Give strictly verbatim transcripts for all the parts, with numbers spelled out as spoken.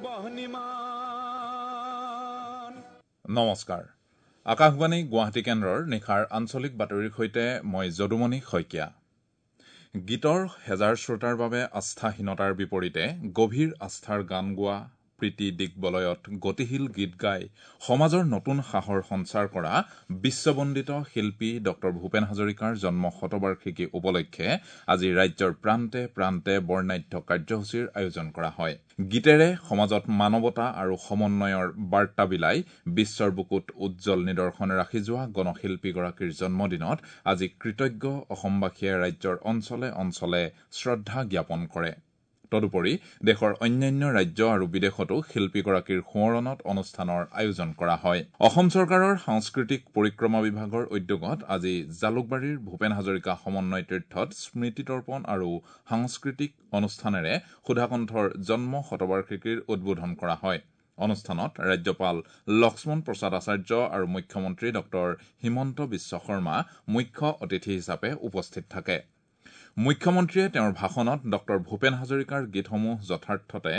বহ্নিমান। নমস্কাৰ, আকাশবাণী গুৱাহাটী কেন্দ্ৰৰ নিশাৰ আঞ্চলিক বাতৰিৰ সৈতে মই যদুমণি শইকীয়া। গীতৰ হেজাৰ শ্ৰোতাৰ বাবে আস্থাহীনতাৰ বিপৰীতে গভীৰ আস্থাৰ গান গোৱা, প্ৰীতি দিগ্বলয়ত গতিশীল গীত গাই সমাজৰ নতুন সাহৰ সঞ্চাৰ কৰা বিশ্ববন্দিত শিল্পী ডক্টৰ ভূপেন হাজৰিকাৰ জন্ম শতবাৰ্ষিকী উপলক্ষে আজি ৰাজ্যৰ প্ৰান্তে প্ৰান্তে বৰ্ণাঢ্য কাৰ্যসূচীৰ আয়োজন কৰা হয়। গীতেৰে সমাজত মানৱতা আৰু সমন্বয়ৰ বাৰ্তা বিলাই বিশ্বৰ বুকুত উজ্জ্বল নিদৰ্শন ৰাখি যোৱা গণশিল্পীগৰাকীৰ জন্মদিনত আজি কৃতজ্ঞ অসমবাসীয়ে ৰাজ্যৰ অঞ্চলে অঞ্চলে শ্ৰদ্ধা জ্ঞাপন কৰে। তদুপৰি দেশৰ অন্যান্য ৰাজ্য আৰু বিদেশতো শিল্পীগৰাকীৰ সোঁৱৰণত অনুষ্ঠানৰ আয়োজন কৰা হয়। অসম চৰকাৰৰ সাংস্কৃতিক পৰিক্ৰমা বিভাগৰ উদ্যোগত আজি জালুকবাৰীৰ ভূপেন হাজৰিকা সমন্বয় তীৰ্থত স্মৃতি তৰ্পণ আৰু সাংস্কৃতিক অনুষ্ঠানেৰে সুধাকণ্ঠৰ জন্ম শতবাৰ্ষিকীৰ উদ্বোধন কৰা হয়। অনুষ্ঠানত ৰাজ্যপাল লক্ষ্মণ প্ৰসাদ আচাৰ্য আৰু মুখ্যমন্ত্ৰী ডক্টৰ হিমন্ত বিশ্ব শৰ্মা মুখ্য অতিথি হিচাপে উপস্থিত থাকে। মুখ্যমন্ত্ৰীয়ে তেওঁৰ ভাষণত ডক্টৰ ভূপেন হাজৰিকাৰ গীতসমূহ যথাৰ্থতে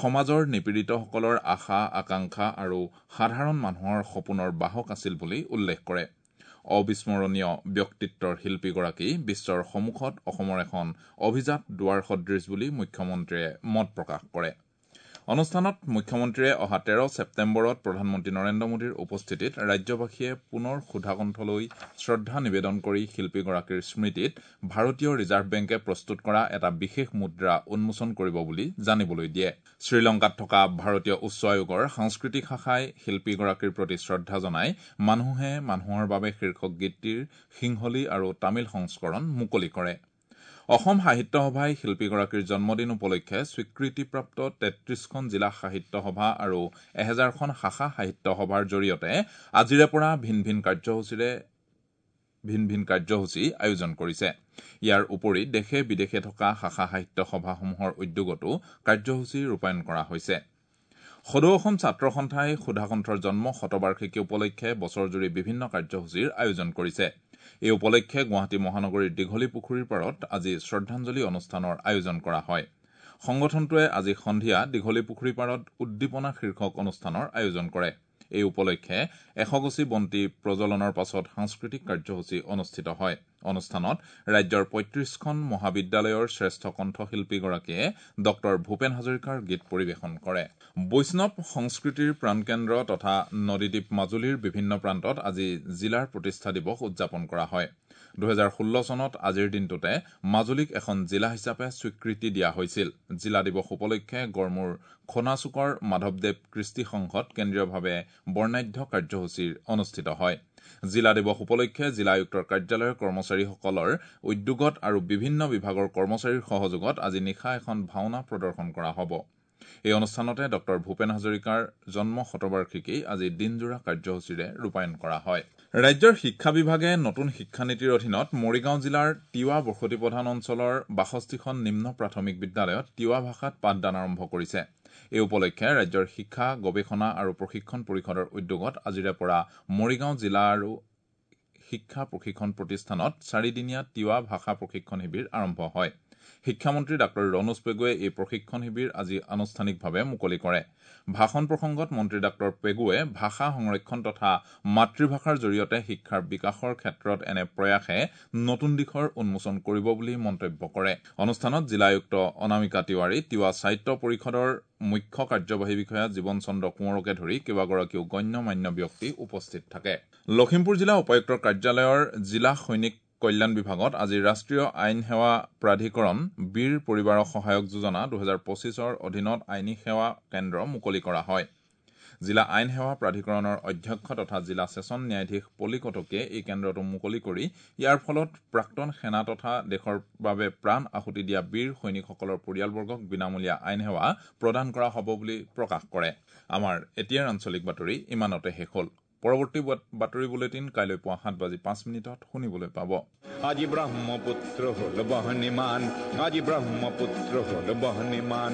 সমাজৰ নিপীড়িতসকলৰ আশা আকাংক্ষা আৰু সাধাৰণ মানুহৰ সপোনৰ বাহক আছিল বুলি উল্লেখ কৰে। অবিস্মৰণীয় ব্যক্তিত্বৰ শিল্পীগৰাকী বিশ্বৰ সন্মুখত অসমৰ এখন অভিজাত দুৱাৰ সদৃশ বুলি মুখ্যমন্ত্ৰীয়ে মত প্ৰকাশ কৰে। অনুষ্ঠানত মুখ্যমন্ত্ৰীয়ে অহা তেৰ ছেপ্টেম্বৰত প্ৰধানমন্ত্ৰী নৰেন্দ্ৰ মোদীৰ উপস্থিতিত ৰাজ্যবাসীয়ে পুনৰ সুধাকণ্ঠলৈ শ্ৰদ্ধা নিবেদন কৰি শিল্পীগৰাকীৰ স্মৃতিত ভাৰতীয় ৰিজাৰ্ভ বেংকে প্ৰস্তুত কৰা এটা বিশেষ মুদ্ৰা উন্মোচন কৰিব বুলি জানিবলৈ দিয়ে। শ্ৰীলংকাত থকা ভাৰতীয় উচ্চ আয়োগৰ সাংস্কৃতিক শাখাই শিল্পীগৰাকীৰ প্ৰতি শ্ৰদ্ধা জনাই মানুহে মানুহৰ বাবে শীৰ্ষক গীতটিৰ সিংহলী আৰু তামিল সংস্কৰণ মুকলি কৰে। অসম সাহিত্য সভাই শিল্পীগৰাকীৰ জন্মদিন উপলক্ষে স্বীকৃতিপ্ৰাপ্ত তেত্ৰিশখন জিলা সাহিত্য সভা আৰু এহেজাৰখন শাখা সাহিত্য সভাৰ জৰিয়তে আজিৰে পৰা ভিন ভিন কাৰ্যসূচীৰে ভিন ভিন কাৰ্যসূচী আয়োজন কৰিছে। ইয়াৰ উপৰি দেশে বিদেশে থকা শাখা সাহিত্য সভাসমূহৰ উদ্যোগতো কাৰ্যসূচী ৰূপায়ণ কৰা হৈছে। সদৌ অসম ছাত্ৰ সন্থাই সুধাকণ্ঠৰ জন্ম শতবাৰ্ষিকী উপলক্ষে বছৰজুৰি বিভিন্ন কাৰ্যসূচীৰ আয়োজন কৰিছে। এই উপলক্ষে গুৱাহাটী মহানগৰীৰ দীঘলী পুখুৰীৰ পাৰত আজি শ্ৰদ্ধাঞ্জলি অনুষ্ঠানৰ আয়োজন কৰা হয়। সংগঠনটোৱে আজি সন্ধিয়া দীঘলী পুখুৰী পাৰত উদ্দীপনা শীৰ্ষক অনুষ্ঠানৰ আয়োজন কৰে। এই উপলক্ষে এশগছি বন্তি প্ৰজ্বলনৰ পাছত সাংস্কৃতিক কাৰ্যসূচী অনুষ্ঠিত হয়। অনুষ্ঠানত ৰাজ্যৰ পঁয়ত্ৰিশখন মহাবিদ্যালয়ৰ শ্ৰেষ্ঠ কণ্ঠশিল্পীগৰাকীয়ে ডক্টৰ ভূপেন হাজৰিকাৰ গীত পৰিৱেশন কৰে। বৈষ্ণৱ সংস্কৃতিৰ প্ৰাণকেন্দ্ৰ তথা নদীদ্বীপ মাজুলীৰ বিভিন্ন প্ৰান্তত আজি জিলাৰ প্ৰতিষ্ঠা দিৱস উদযাপন কৰা হয়। দুহেজাৰ ষোল্ল চনত আজিৰ দিনটোতে মাজুলীক এখন জিলা হিচাপে স্বীকৃতি দিয়া হৈছিল। জিলা দিৱস উপলক্ষে গড়মূৰ খনাচুকৰ মাধৱদেৱ কৃষ্টি সংঘত কেন্দ্ৰীয়ভাৱে বৰ্ণাঢ্য কাৰ্যসূচীৰ অনুষ্ঠিত হয়। জিলা দিৱস উপলক্ষে জিলা আয়ুক্তৰ কাৰ্যালয়ৰ কৰ্মচাৰীসকলৰ উদ্যোগত আৰু বিভিন্ন বিভাগৰ কৰ্মচাৰীৰ সহযোগত আজি নিশা এখন ভাওনা প্ৰদৰ্শন কৰা হ'ব। এই অনুষ্ঠানতে ডক্টৰ ভূপেন হাজৰিকাৰ জন্ম শতবাৰ্ষিকী আজি দিনজোৰা কাৰ্যসূচীৰে ৰূপায়ণ কৰা হয়। ৰাজ্যৰ শিক্ষা বিভাগে নতুন শিক্ষানীতিৰ অধীনত মৰিগাঁও জিলাৰ তিৱা বসতি প্ৰধান অঞ্চলৰ বাষষ্ঠিখন নিম্ন প্ৰাথমিক বিদ্যালয়ত তিৱা ভাষাত পাঠদান আৰম্ভ কৰিছে। এই উপলক্ষে ৰাজ্যৰ শিক্ষা গৱেষণা আৰু প্ৰশিক্ষণ পৰিষদৰ উদ্যোগত আজিৰে পৰা মৰিগাঁও জিলা আৰু শিক্ষা প্ৰশিক্ষণ প্ৰতিষ্ঠানত চাৰিদিনীয়া তিৱা ভাষা প্ৰশিক্ষণ শিবিৰ আৰম্ভ হয়। শিক্ষামন্ত্ৰী ডাঃ ৰণোজ পেগুৱে এই প্ৰশিক্ষণ শিবিৰ আজি আনুষ্ঠানিকভাৱে মুকলি কৰে। ভাষণ প্ৰসংগত মন্ত্ৰী ডাঃ পেগুৱে ভাষা সংৰক্ষণ তথা মাতৃভাষাৰ জৰিয়তে শিক্ষাৰ বিকাশৰ ক্ষেত্ৰত এনে প্ৰয়াসে নতুন দিশৰ উন্মোচন কৰিব বুলি মন্তব্য কৰে। অনুষ্ঠানত জিলা আয়ুক্ত অনামিকা তিৱাৰী, তিৱা সাহিত্য পৰিষদৰ মুখ্য কাৰ্যবাহী বিষয়া জীৱন চন্দ্ৰ কোঁৱৰকে ধৰি কেইবাগৰাকীও গণ্য মান্য ব্যক্তি উপস্থিত থাকে। লখিমপুৰ জিলা উপায়ুক্তৰ কাৰ্যালয়ৰ জিলা সৈনিক কল্যাণ বিভাগত আজি ৰাষ্ট্ৰীয় আইন সেৱা প্ৰাধিকৰণ বীৰ পৰিবাৰক সহায়ক যোজনা দুহেজাৰ পঁচিছৰ অধীনত আইনী সেৱা কেন্দ্ৰ মুকলি কৰা হয়। জিলা আইন সেৱা প্ৰাধিকৰণৰ অধ্যক্ষ তথা জিলা ছেছন ন্যায়াধীশ পলি কটকীয়ে এই কেন্দ্ৰটো মুকলি কৰি ইয়াৰ ফলত প্ৰাক্তন সেনা তথা দেশৰ বাবে প্ৰাণ আহুতি দিয়া বীৰ সৈনিকসকলৰ পৰিয়ালবৰ্গক বিনামূলীয়া আইন সেৱা প্ৰদান কৰা হ'ব বুলি প্ৰকাশ কৰে। আমাৰ এতিয়াৰ আঞ্চলিক বাতৰি ইমানতে শেষ হ'ল। পৰৱৰ্তী বাতৰি বুলেটিন কাইলৈ পুৱা সাত বাজি পাঁচ মিনিটত শুনিবলৈ পাব। আজি ব্ৰহ্মপুত্ৰ হ'ল বহ্নিমান, আজি ব্ৰহ্মপুত্ৰ হ'ল বহ্নিমান।